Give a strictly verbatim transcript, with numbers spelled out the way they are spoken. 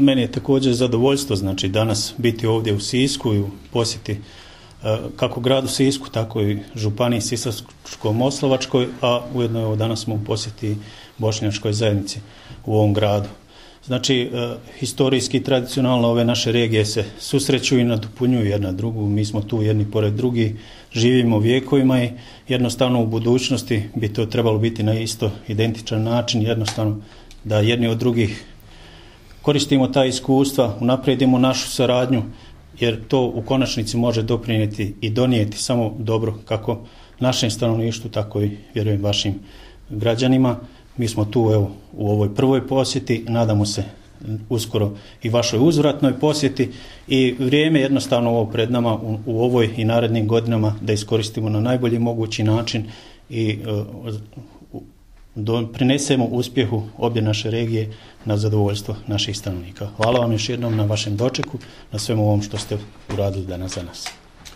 Meni je također zadovoljstvo znači danas biti ovdje u Sisku i u posjeti kako gradu Sisku, tako i županiji Sisačko-moslavačkoj, a ujedno evo danas smo u posjeti bošnjačkoj zajednici u ovom gradu. Znači, historijski i tradicionalno ove naše regije se susreću i nadopunjuju jedna drugu. Mi smo tu jedni pored drugi, živimo vjekovima i jednostavno u budućnosti bi to trebalo biti na isto identičan način, jednostavno da jedni od drugih koristimo ta iskustva, unaprijedimo našu saradnju, jer to u konačnici može doprinijeti i donijeti samo dobro kako našem stanovništvu, tako i vjerujem vašim građanima. Mi smo tu evo, u ovoj prvoj posjeti, nadamo se uskoro i vašoj uzvratnoj posjeti i vrijeme jednostavno ovo pred nama u, u ovoj i narednim godinama da iskoristimo na najbolji mogući način i uh, do, prinesemo uspjehu obje naše regije na zadovoljstvo naših stanovnika. Hvala vam još jednom na vašem dočeku, na svemu ovom što ste uradili danas za nas.